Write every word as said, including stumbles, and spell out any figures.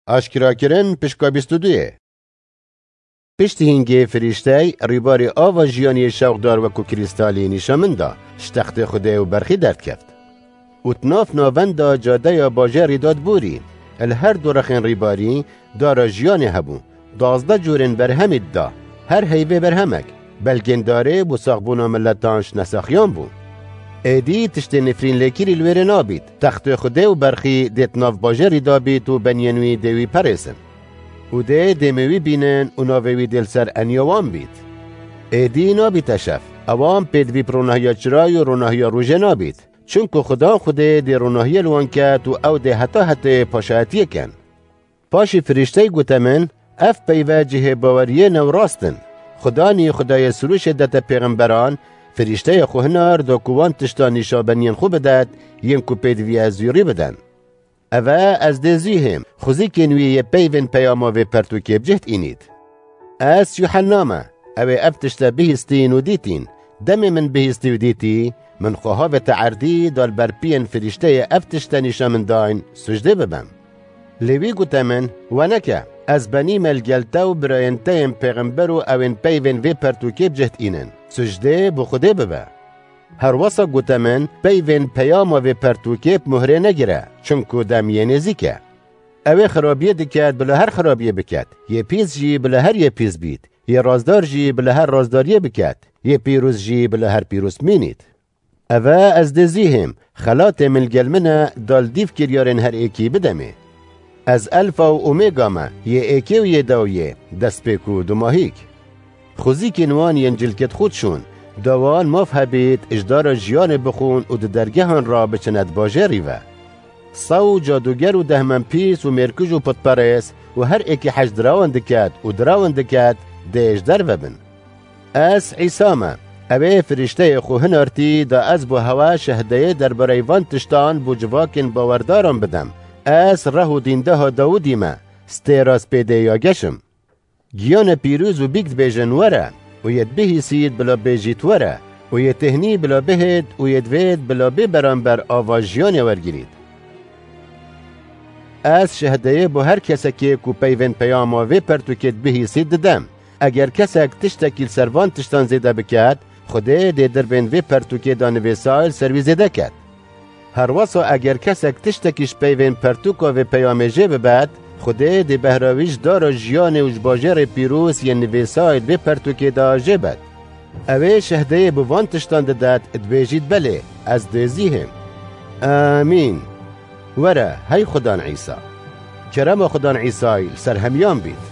Aşkerakirin pişka bîst û duyê. Piştî hingê firîştey rîbarê ava jiyanê şewqdar wekû krîstalî nîşa min da, ji textê Xwedê û berxî derdkeft. Û di nav navenda cadeya bajêrî da diborî, li her du rexên rîbarî dara jiyanê hebû, duwazdeh cûrên berhemî dida, her heyvê berhemek, belgên darê bo saxbûna miletan ji nesaxiyan bû. Êdî tiştê nifrîn lêkirî li wêrê nabît, textê Xwedê û berxî dê di nav bajêrî da bît û beniyên wî dê wî perêsin. Û dê dêmê wî bînin û navê wî dê li ser eniya wan bît. Êdî nabîte şev, ewan pêdivî bi ronahiya çirayê û ronahiya rojê nabît. Çimku Xudan Xwedê dê ronahiyê li wan ket û ew dê heta hetê paşayetiyê kin. Paşî firîştey gote min, ev peyve cihê baweriyê ne û rast in. Xudanî Xwedayê sirûşê dete pêxemberan, firîşteya xwe hinar da ku wan tişta nîşa beniyên xwe bidet, yên ku pêdivî ez zûrî bidin. Eve ez dê zû hêm, xwezîkên wî yê peyvên peyama vê pertûkê bi cih dînît. Ez Yuhenna me, ew ê ev tişte bihîstîn û dîtîn. Demê min bihîstî û dîtî, min xwe havête erdî, da li ber piyên firîşteyê ev tişte nîşa min dayn, sucdê bibim. Lê wî gote min, we neke, ez benî me li gel te û birayên te yên pêxember û ew ên peyvên vê pertûkê bi cih dînin. Sucdê bo Xwedê bibe. Herwesa gote min, peyvên peyama vê pertûkê bi muhrê negire, çimku dem yê nêzîk e. Ew ê xirabiyê diket, bila her xirabiyê biket. Yê pîs jî bila her yê pîs bît. Yê razdar jî bila her razdariyê biket. Yê pîroz jî bila her pîroz bimînît. Eve ez dê zû hêm, xelatê min li gel min e, da li dîv kiryarên her êkî bidemê. Ez Elfa û Omega me, yê êkê û yê dawiyê, destpêk û dumahîk. Xwezîkên wan yên cilkê di xwe dişûn, da wan maf hebît, ji dara jiyanê bixwin û di dergehan re biçine di bajêrî ve. Sew û cadûger û dehmenpîs û mêrkij û putperês û her êkî hej dirawan diket û dirawan diket, dê ji derve bin. Ez Îsa me. Ew ê firîşteyê xwe hinartî, da ez bo hewe şehdeyê derbareyê van tiştan bo civakên bawerdaran bidim. Ez reh û dîndeha Dawidî me, stêra spêdê ya geş im. Giyane pîroz û bîk dibêjin, were, û yê dibihîsît bila bêjît, were, û yê têhnî bila bihêt û yê divêt bila bê beramber ava jiyanê wergirît. Ez şehdeyê bo her kesekê ku peyvên peyama vê pertûkê dibihîsît didem. Eger kesek tiştekî li ser van tiştan zêde biket, Xwedê dê dirbên vê pertûkê de nivêsay li ser wî zêde ket. Herwesa eger kesek tiştekî ji peyvên pertûka vê peyamê jê bibet, Xwedê dê behra wî ji dara jiyanê û ji bajêrê pîroz yên nivêsay li vê pertûkê de jê bet. Ew ê şehdeyê bi van tiştan didet, dibêjît, belê, ez dê zî hêm. Amîn. Were, hey Xudan Îsa. Kerema Xudan Îsay li ser hemiyan bît.